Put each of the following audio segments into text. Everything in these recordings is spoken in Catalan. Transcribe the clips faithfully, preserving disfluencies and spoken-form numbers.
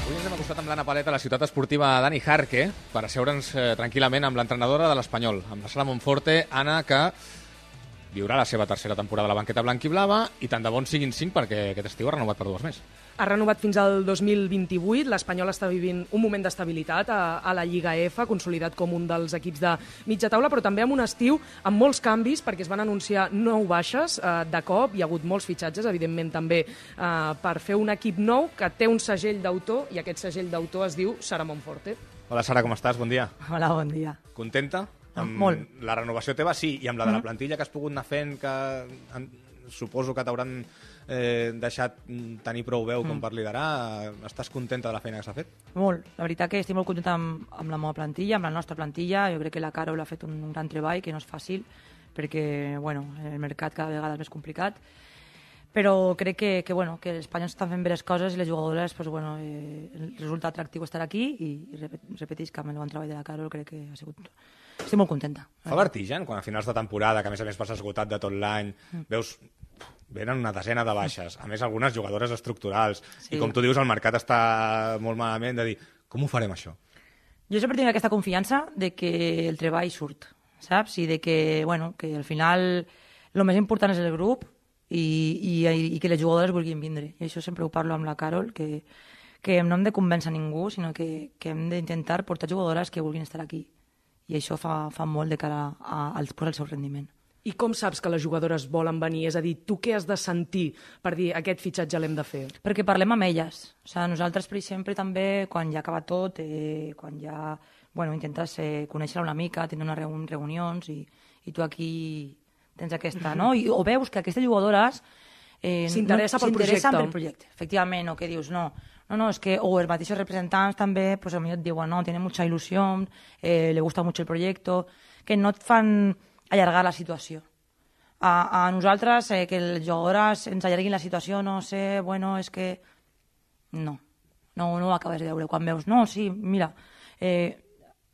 Avui ens hem acostat amb l'Anna Paleta a la ciutat esportiva Dani Jarque per asseure'ns eh, tranquil·lament amb l'entrenadora de l'Espanyol, amb la Sara Monforte. Anna, que viurà la seva tercera temporada a la banqueta blanc-i-blava i tant de bons siguin cinc perquè aquest estiu ha renovat per dues més. Ha renovat fins al dos mil vint-i-vuit. L'Espanyol està vivint un moment d'estabilitat a, a la Lliga F, consolidat com un dels equips de mitja taula, però també amb un estiu amb molts canvis, perquè es van anunciar nou baixes eh, de cop. Hi ha hagut molts fitxatges, evidentment, també eh, per fer un equip nou que té un segell d'autor, i aquest segell d'autor es diu Sara Monforte. Hola, Sara, com estàs? Bon dia. Hola, bon dia. Contenta? Amb Molt. La renovació teva, sí, i amb la de la plantilla que has pogut anar fent, que en, suposo que t'hauran eh, deixat tenir prou veu com per liderar. Estàs contenta de la feina que s'ha fet? Molt. La veritat que estic molt contenta amb, amb la meva plantilla, amb la nostra plantilla. Jo crec que la Carol ha fet un, un gran treball, que no és fàcil, perquè bueno, el mercat cada vegada és més complicat. Però crec que, que, bueno, que els espanyols estan fent bé les coses i les jugadores, pues, bueno, eh, el resultat atractiu estar aquí i, i repeteix que amb el bon treball de la Carol crec que ha sigut... Estic molt contenta. Fa vertigen quan a finals de temporada, que a més a més vas esgotat de tot l'any, mm. veus, venen una desena de baixes, a més algunes jugadores estructurals, sí. I com tu dius el mercat està molt malament, de dir, com ho farem això? Jo sempre tinc aquesta confiança de que el treball surt, saps? I de que, bueno, que al final el més important és el grup i, i, i que les jugadores vulguin vindre. I això sempre ho parlo amb la Carol, que, que no hem de convèncer ningú, sinó que, que hem d'intentar portar jugadores que vulguin estar aquí. I això fa, fa molt de cara a, a, al seu rendiment. I com saps que les jugadores volen venir? És a dir, tu què has de sentir per dir aquest fitxatge l'hem de fer? Perquè parlem amb elles. O sigui, nosaltres, per exemple, també, quan ja acaba tot, eh, quan ja bueno, intentes eh, conèixer una mica, tenir unes reun reunions, i, i tu aquí tens aquesta, no? I, o veus que aquestes jugadores eh, s'interessa no, pel projecte. pel projecte, efectivament, o que dius, no, no, no, es que, o els mateixos representants també, pues a mi et diuen, no, tiene mucha ilusión, eh, le gusta mucho el proyecto, que no et fan allargar la situació. A, a nosaltres, eh, que les jugadores ens allarguin la situació, no sé, bueno, és que... No, no, no ho acabes de veure. Quan veus, no, sí, mira, eh,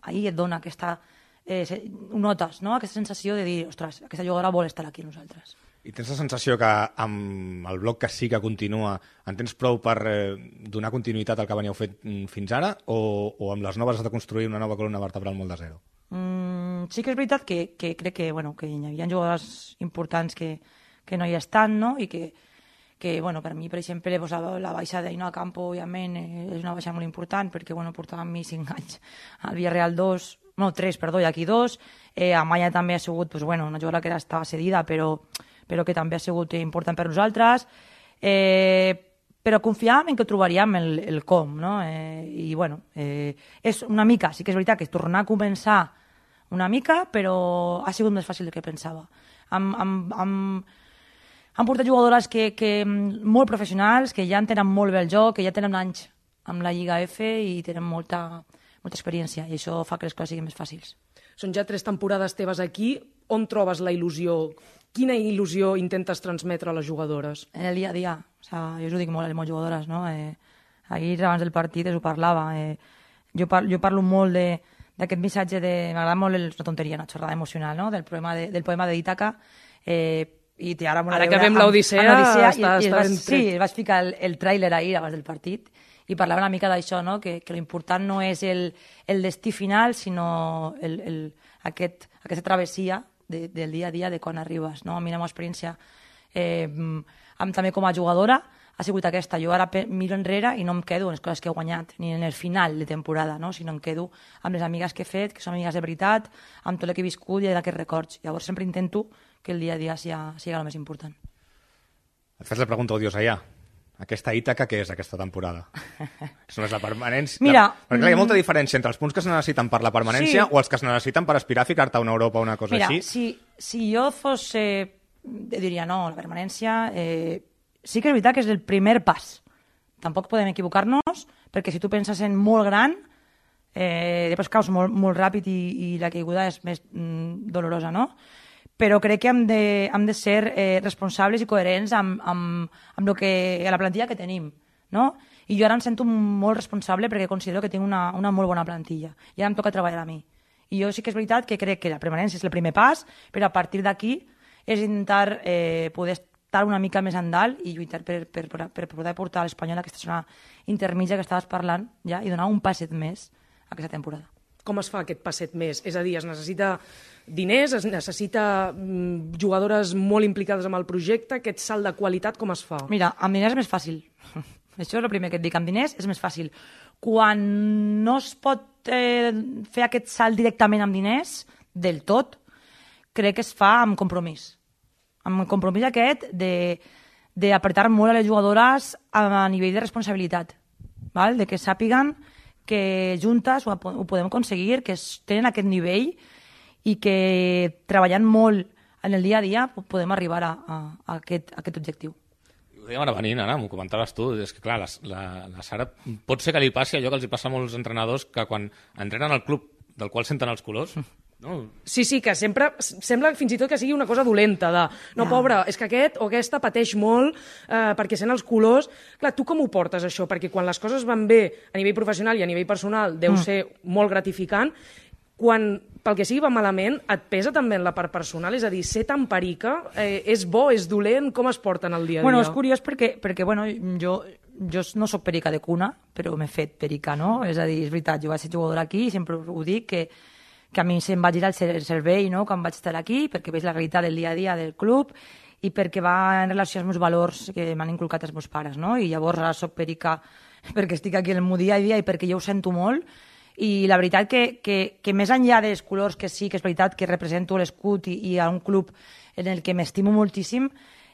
ahir et dona aquesta... Eh, ho notes, no?, aquesta sensació de dir, ostres, aquesta jugadora vol estar aquí amb nosaltres. I tens la sensació que amb el bloc que sí que continua en tens prou per eh, donar continuïtat al que veníeu fet fins ara, o, o amb les noves has de construir una nova columna vertebral molt de zero? Mm, sí que és veritat que, que crec que, bueno, que hi havia jugadors importants que, que no hi estan, no?, i que, que bueno, per mi, per exemple, pues, la, la baixa d'Aina Campo, òbviament, eh, és una baixa molt important, perquè bueno, portava amb mi cinc anys al Villarreal dos, no, tres, perdó, i aquí dos. Eh, Amaya també ha sigut, pues, bueno, una jugadora que era, estava cedida, però però que també ha sigut important per nosaltres, eh, però confiàvem en que trobaríem el, el com, no? Eh, I, bueno, eh, és una mica, sí que és veritat que és tornar a començar una mica, però ha sigut més fàcil del que pensava. Hem, hem, hem, hem portat jugadores que, que, molt professionals, que ja entenen molt bé el joc, que ja tenen anys amb la Lliga F i tenen molta, molta experiència, i això fa que les coses siguin més fàcils. Són ja tres temporades teves aquí. On trobes la il·lusió? Quina il·lusió intentes transmetre a les jugadores? En el dia a dia. O sea, jo us ho dic molt a les meves jugadores, no? Eh, ahir, abans del partit, us ho parlava. Eh, jo, par jo parlo molt d'aquest missatge de... M'agrada molt el, una tonteria, una xorrada emocional, no?, del poema de, del poema de Ítaca. Eh, i té ara, ara que vem l'Odissea, està, i, i està vas, sí, vaig ficar el, el tràiler ahir abans del partit i parlava una mica d'això, no?, que, que l'important no és el, el destí final, sinó el, el, aquest, aquesta travessia de, del dia a dia de quan arribes, no? A mi la meva experiència eh, amb, també com a jugadora ha sigut aquesta. Jo ara miro enrere i no em quedo en les coses que he guanyat, ni en el final de temporada, no?, sinó em quedo amb les amigues que he fet, que són amigues de veritat, amb tot el que he viscut i d'aquests records. Llavors sempre intento que el dia a dia sigui, sigui el més important. Et fas la pregunta odiosa ja. Aquesta Ítaca, què és aquesta temporada? Això no és la permanència? Mira, la... Perquè clar, hi ha molta diferència entre els punts que es necessiten per la permanència, sí, o els que es necessiten per aspirar a ficar-te a una Europa o una cosa Mira, així. Si, si jo fos... Eh, diria, no, la permanència... Eh, sí que és veritat que és el primer pas. Tampoc podem equivocar-nos, perquè si tu penses en molt gran, eh, després caus molt, molt ràpid i, i la caiguda és més mm, dolorosa, no? Però crec que hem de, hem de ser eh, responsables i coherents amb, amb, amb lo que, la plantilla que tenim, no? I jo ara em sento molt responsable perquè considero que tinc una, una molt bona plantilla i ara em toca treballar a mi. I jo sí que és veritat que crec que la permanència és el primer pas, però a partir d'aquí és intentar eh, poder estar una mica més endalt i lluitar per, per, per poder portar l'Espanyol a aquesta zona intermitja que estaves parlant ja, i donar un passet més a aquesta temporada. Com es fa aquest passet més? És a dir, es necessita diners, es necessita mm, jugadores molt implicades amb el projecte, aquest salt de qualitat com es fa? Mira, amb diners és més fàcil. Això és el primer que et dic, amb diners és més fàcil. Quan no es pot eh, fer aquest salt directament amb diners, del tot, crec que es fa amb compromís. Amb el compromís aquest d'apretar molt a les jugadores a nivell de responsabilitat, val? De que sàpiguen que juntes ho, ho podem aconseguir, que tenen aquest nivell i que treballant molt en el dia a dia podem arribar a, a, a, aquest, a aquest objectiu. Ho dèiem ara venint, Anna, m'ho comentaves tu, és que clar, la, la, la Sara pot ser que li passi allò que els hi passa a molts entrenadors que quan entrenen al club del qual senten els colors... No. Sí, sí, que sempre sembla fins i tot que sigui una cosa dolenta, de no, Ja. pobre, és que aquest o aquesta pateix molt eh, perquè sent els colors. Clar, tu com ho portes, això? Perquè quan les coses van bé a nivell professional i a nivell personal deu Mm. ser molt gratificant, quan pel que sigui va malament, et pesa també en la part personal? És a dir, ser tan perica, eh, és bo, és dolent, com es porten el dia a dia? Bueno, és curiós perquè, perquè bueno, jo, jo no sóc perica de cuna, però m'he fet perica, no? És a dir, és veritat, jo vaig ser jugadora aquí i sempre ho dic, que que a mi se'm va girar el cervell, no?, quan vaig estar aquí, perquè veig la realitat del dia a dia del club i perquè va en relació als meus valors que m'han inculcat els meus pares, no? I llavors ara soc perica perquè estic aquí en el meu dia a dia i perquè jo ho sento molt. I la veritat que, que, que més enllà dels colors, que sí que és veritat que represento l'escut i, i a un club en el que m'estimo moltíssim,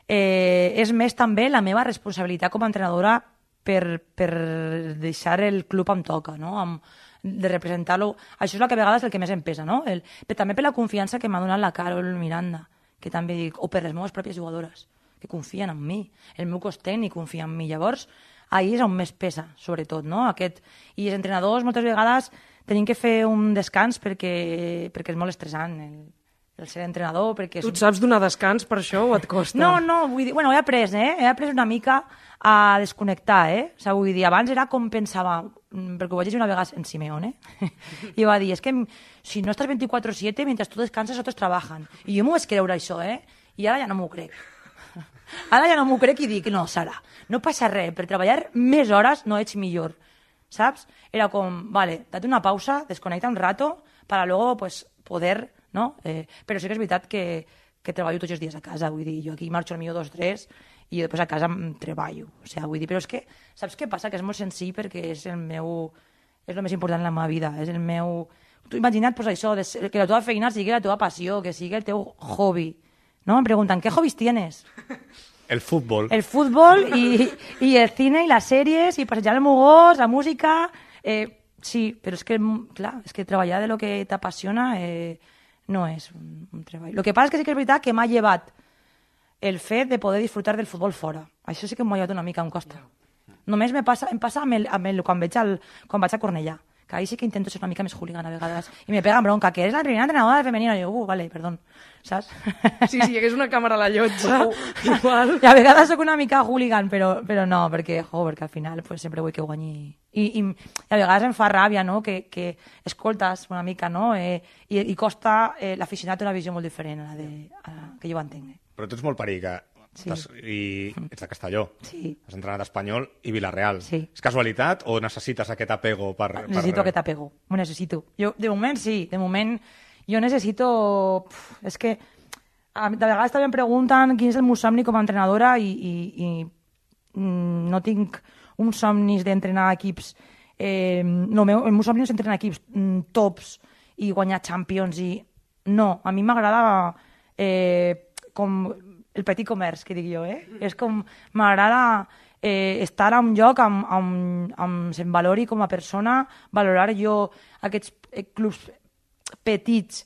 eh, és més també la meva responsabilitat com a entrenadora per, per deixar el club on toca, no?, amb, de representar-lo. Això és el que a vegades el que més em pesa, no? El, però també per la confiança que m'ha donat la Carol Miranda, que també dic, o per les meves pròpies jugadores, que confien en mi, el meu cos tècnic confia en mi. Llavors, ahir és on més pesa, sobretot, no? Aquest... I els entrenadors moltes vegades tenim que fer un descans perquè, perquè és molt estressant el, el ser entrenador, perquè... Tu et saps donar descans per això o et costa? No, no, vull dir... Bueno, he après, eh? He après una mica a desconnectar, eh? O sigui, vull dir, abans era com pensava, perquè ho vaig llegir una vegada en Simeone, i va dir, és que si no estàs vint-i-quatre siete, mentre tu descanses, otros trabajan. I jo m'ho vaig creure, això, eh? I ara ja no m'ho crec. Ara ja no m'ho crec i dic, no, Sara, no passa res, per treballar més hores no ets millor, saps? Era com, vale, date una pausa, desconnecta un rato, para luego, pues, poder, no? Eh, però sí que és veritat que, que treballo tots els dies a casa, vull dir, jo aquí marxo al millor dos, tres, i després a casa em treballo, o sigui, vull dir, però és que, saps què passa? Que és molt senzill perquè és el meu, és el més important en la meva vida, és el meu... Tu imagina't, pues, això, de, que la teva feina sigui la teva passió, que sigui el teu hobby, no? Em pregunten, ¿qué hobbies tienes? El fútbol. El fútbol i, i el cine i les sèries i passejar el meu gos, la música... Eh, sí, però és que, clar, és que treballar de lo que t'apassiona eh, no és un, un treball. El que passa és que sí que és veritat que m'ha llevat el fet de poder disfrutar del futbol fora. Això sí que m'ho ha llevat una mica, em costa. Només me passa, em passa amb el, amb el, quan, veig el, quan vaig a Cornellà, que ahí sí que intento ser una mica més hooligan a vegades, i me peguen bronca, que eres la primera entrenadora femenina, i jo, uh, vale, perdón, saps? Sí, si hi hagués una càmera a la llotja, igual... I a vegades sóc una mica hooligan, però, però no, perquè, jo, perquè al final pues, sempre vull que guanyi. I, i, i a vegades em fa ràbia, no?, que, que escoltes una mica, no?, eh, i, i costa, eh, l'aficionat té una visió molt diferent a la, de, a la que jo entenc. Eh? Però tu ets molt perica. Sí. I ets de Castelló. Sí. Has entrenat Espanyol i Vilareal. Sí. És casualitat o necessites aquest apego per... Necessito per... aquest apego, ho necessito. Jo, de moment sí, de moment jo necessito... Puf, és que a, de vegades també em pregunten quin és el meu somni com a entrenadora i, i, i mm, no tinc uns somnis d'entrenar equips... Eh, no, el meu, el meu somni és entrenar equips mm, tops i guanyar Champions i... No, a mi m'agrada eh, com el petit comerç, que dic jo, eh? És com, m'agrada eh, estar a un lloc amb, amb, amb se'm valori com a persona, valorar jo aquests eh, clubs petits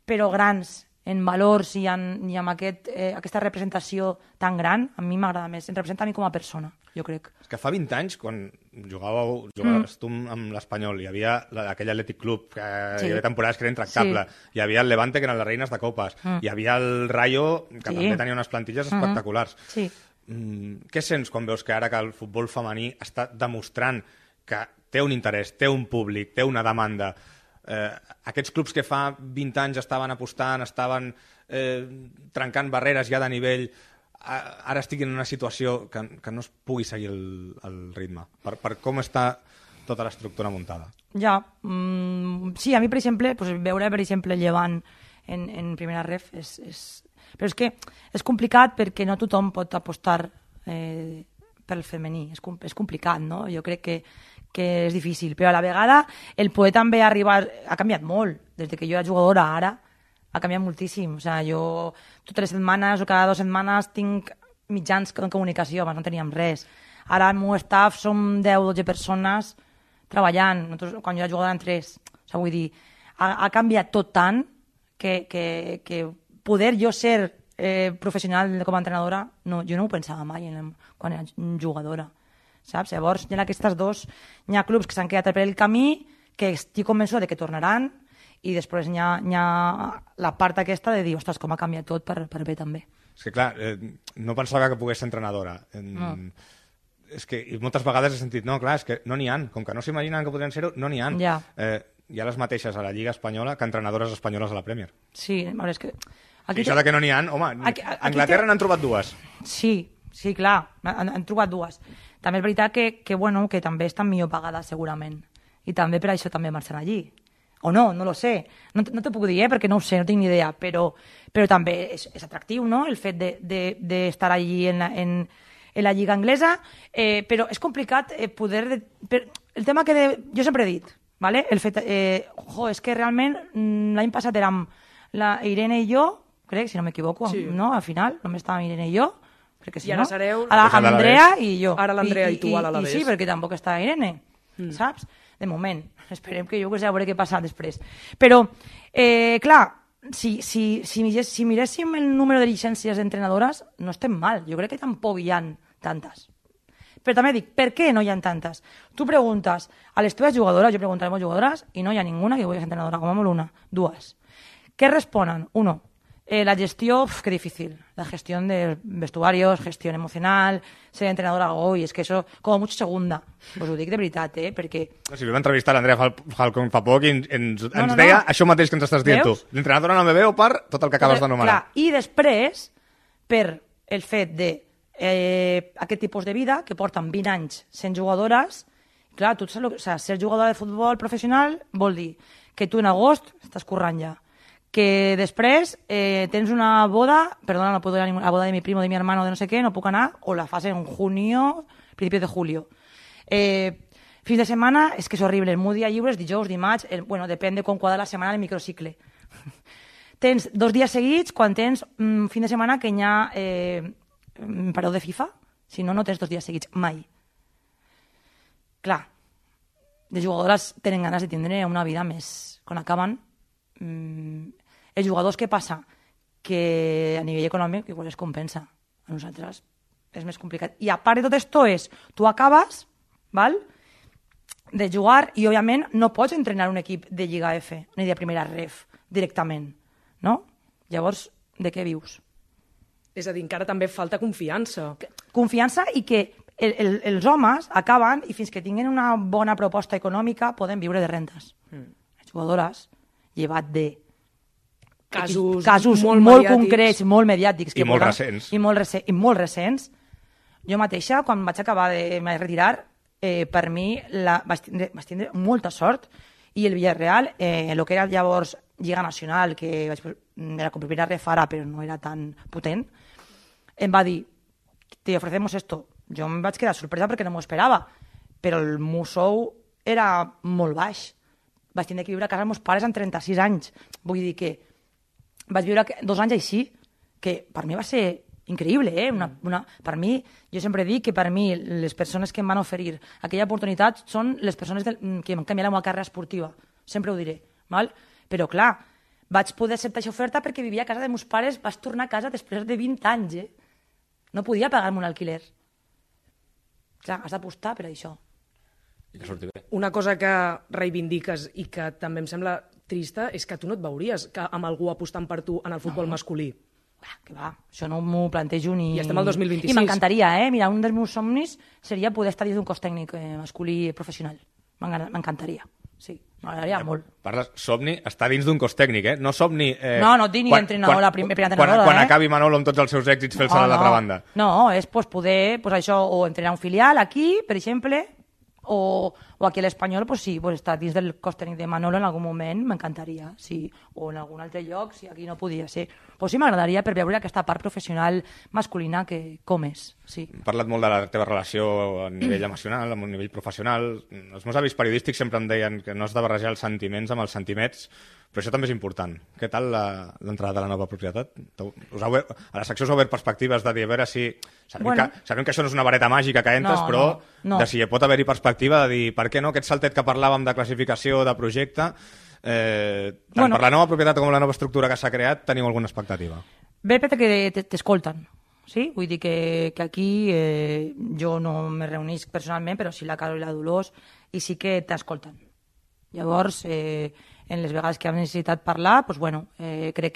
però grans en valors i, en, i amb aquest, eh, aquesta representació tan gran, a mi m'agrada més. Em representa a mi com a persona, jo crec. És que fa vint anys, quan jugàveu, jugaves mm. tu amb l'Espanyol, hi havia la, aquell Atlètic Club, que sí. Hi havia temporades que era intractable, sí. Hi havia el Levante, que eren les reines de copes, mm. Hi havia el Rayo, que sí. També tenia unes plantilles mm-hmm. espectaculars. Sí. Mm, què sents quan veus que ara que el futbol femení està demostrant que té un interès, té un públic, té una demanda? Eh, aquests clubs que fa vint anys estaven apostant, estaven eh, trencant barreres ja de nivell, ara estigui en una situació que, que no es pugui seguir el, el ritme, per, per com està tota l'estructura muntada. Ja, mm, sí, a mi, per exemple, pues, veure, per exemple, Llevant en, en primera ref és, és... Però és que és complicat perquè no tothom pot apostar eh, pel femení, és, com, és complicat, no? Jo crec que, que és difícil, però a la vegada el poder també arribar... Ha canviat molt, des que jo era jugadora ara, ha canviat moltíssim. O sigui, jo totes les setmanes o cada dues setmanes tinc mitjans de comunicació, abans no teníem res. Ara el meu staff som deu o dotze persones treballant. Nosaltres, quan jo era jugadora, en tres. O sigui, vull dir, ha, ha canviat tot tant que, que, que poder jo ser eh, professional com a entrenadora, no, jo no ho pensava mai en, quan era jugadora. Saps? Llavors, hi ha aquestes dos, hi ha clubs que s'han quedat per el camí, que estic convençuda de que tornaran, i després hi ha, hi ha la part aquesta de dir, ostres, com ha canviat tot per, per bé també. És que clar, eh, no pensava que pogués ser entrenadora. En... No. És que i moltes vegades he sentit, no, clar, és que no n'hi ha, com que no s'imaginen que podrien ser-ho, no n'hi ha. Ja. Eh, hi ha les mateixes a la Lliga Espanyola que entrenadores espanyoles a la Premier. Sí, a veure, és que... Aquí I això te... de que no n'hi ha, home, aquí, aquí Anglaterra te... n'han trobat dues. Sí, sí, clar, han, han trobat dues. També és veritat que, que, bueno, que també estan millor pagades, segurament. I també per això també marxen allí. O no, no lo sé. No, no te puc dir, eh, perquè no ho sé, no tinc ni idea, però, però també és, és atractiu, no?, el fet d'estar de, de, de allí en la, en, en la Lliga Anglesa, eh, però és complicat eh, poder... De, per, el tema que de, jo sempre he dit, ¿vale? El fet, eh, jo, és que realment l'any passat érem la Irene i jo, crec, si no m'equivoco, sí. No? Al final, només estàvem Irene i jo, crec que sí, I ara no? sereu... Ara, amb l'Andrea i jo. Ara l'Andrea i, i tu a l'Alavés. I sí, perquè tampoc està Irene, mm. saps? De moment. Esperem que jo que sé, a veure què passa després. Però, eh, clar, si, si, si, si miréssim el número de llicències d'entrenadores, no estem mal. Jo crec que tampoc hi ha tantes. Però també dic, per què no hi ha tantes? Tu preguntes a les teves jugadores, jo pregunto a les meves jugadores, i no hi ha ninguna que vulgui ser entrenadora, com a molt una. Dues. Què responen? Uno, eh, la gestió, uf, qué difícil. La gestión de vestuarios, gestión emocional, ser entrenadora, oi, és que això, com mucho segunda. Pues ho dic de veritat, eh, perquè... No, si vam entrevistar l'Andrea Falcón fa poc i ens, ens, no, no, ens deia no. això mateix que ens estàs dient Veus? tu. L'entrenadora no me veu per tot el que acabes d'anomenar. I després, per el fet de eh, aquest tipus de vida, que porten vint anys sent jugadores, clar, tu saps, o sigui, ser jugadora de futbol professional vol dir que tu en agost estàs currant ja, que després eh, tens una boda, perdona, no puedo ir a la boda de mi primo, de mi hermano, de no sé qué, no puc anar, o la fas en junio, principios de julio. Eh, fins de setmana, és que és horrible, el meu dia lliure és dijous, dimarts, el, bueno, depèn de com quadra la setmana el microcicle. Tens dos dies seguits quan tens un fin de setmana que hi ha eh, pareu de FIFA, si no, no tens dos dies seguits, mai. Clar, les jugadores tenen ganes de tindre una vida més, quan acaben, mmm, els jugadors, què passa? Que a nivell econòmic igual es compensa. A nosaltres és més complicat. I a part de tot això és, tu acabes, val?, de jugar i, òbviament, no pots entrenar un equip de Lliga F ni de primera ref directament, no? Llavors, de què vius? És a dir, encara també falta confiança. Confiança i que el, el, els homes acaben i fins que tinguin una bona proposta econòmica poden viure de rentes. Mm. Les jugadores, llevat de casos, casos molt, molt concrets, molt mediàtics. I molt recents. I molt, recents, I molt recents. Jo mateixa, quan vaig acabar de me retirar, eh, per mi la, vaig, tindre, vaig tindre molta sort i el Villarreal, eh, el que era llavors Lliga Nacional, que vaig, era com primera ref ara, però no era tan potent, em va dir, te ofrecemos esto. Jo em vaig quedar sorpresa perquè no m'ho esperava, però el meu sou era molt baix. Vaig tindre que viure a casa dels meus pares amb trenta-sis anys. Vull dir que vaig viure dos anys així, que per mi va ser increïble, eh? Una, una, per mi, jo sempre dic que per mi les persones que em van oferir aquella oportunitat són les persones del, que m'han canviat la meva carrera esportiva. Sempre ho diré, val? Però clar, vaig poder acceptar aquesta oferta perquè vivia a casa dels meus pares, vaig tornar a casa després de vint anys, eh? No podia pagar-me un alquiler. Clar, has d'apostar per això. I que surti bé. Una cosa que reivindiques i que també em sembla trista és que tu no et veuries que amb algú apostant per tu en el futbol no. masculí. Va, que va, això no m'ho plantejo ni... I estem al dos mil vint-i-sis. I m'encantaria, eh? Mira, un dels meus somnis seria poder estar dins d'un cos tècnic eh, masculí professional. M'encantaria. sí, m'agradaria molt. Parles, Somni està dins d'un cos tècnic, eh? No Somni... Eh, no, no et dic ni entrenador, la primera entrenadora, quan, quan eh? acabi Manolo amb tots els seus èxits fer-se no, a l'altra no. banda. No, és pues, poder, pues, això, o entrenar un filial aquí, per exemple, o, o aquí a l'Espanyol, pues, sí, pues, estar dins del cos tècnic de Manolo en algun moment, m'encantaria, sí, o en algun altre lloc, si aquí no podia ser. Pues sí, m'agradaria per veure aquesta part professional masculina que com és, sí. He parlat molt de la teva relació a nivell emocional, a nivell professional. Els meus avis periodístics sempre em deien que no has de barrejar els sentiments amb els sentiments, però això també és important. Què tal l'entrada de la nova propietat? Us heu, a la secció us heu obert perspectives de dir, a veure si... Sabem, bueno, que, sabem que això no és una vareta màgica que entres, no, però no, no. de si hi pot haver-hi perspectiva de dir, per què no, aquest saltet que parlàvem de classificació, de projecte, eh, tant bueno, per la nova propietat com la nova estructura que s'ha creat, teniu alguna expectativa? Bé, perquè t'escolten. Sí? Vull dir que, que aquí eh, jo no me reunisc personalment, però sí la Carol i la Dolors, i sí que t'escolten. Llavors, eh, en les vegades que hem necessitat parlar, doncs, bueno, eh, crec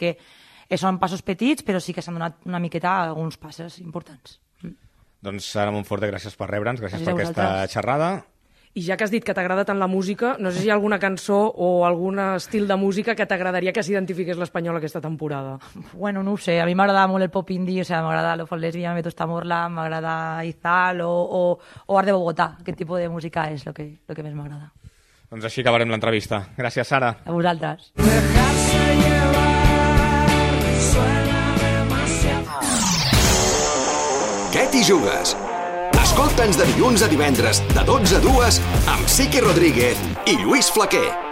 que són passos petits, però sí que s'han donat una miqueta alguns passos importants. Mm. Doncs, Sara Monforte, gràcies per rebre'ns, gràcies, gràcies per aquesta xerrada. I ja que has dit que t'agrada tant la música, no sé si hi ha alguna cançó o algun estil de música que t'agradaria que s'identifiqués l'Espanyol aquesta temporada. Bueno, no ho sé, a mi m'agrada molt el pop indie, o sea, m'agrada Lo Lesbia, Me Tosta Morla, m'agrada Izal o, o, o Art de Bogotà. Aquest tipus de música és el que, lo que més m'agrada. Doncs així acabarem l'entrevista. Gràcies, Sara. A vosaltres. Què t'hi jugues? Escolta'ns de dilluns a divendres, de dotze a dues, amb Sique Rodríguez i Lluís Flaquer.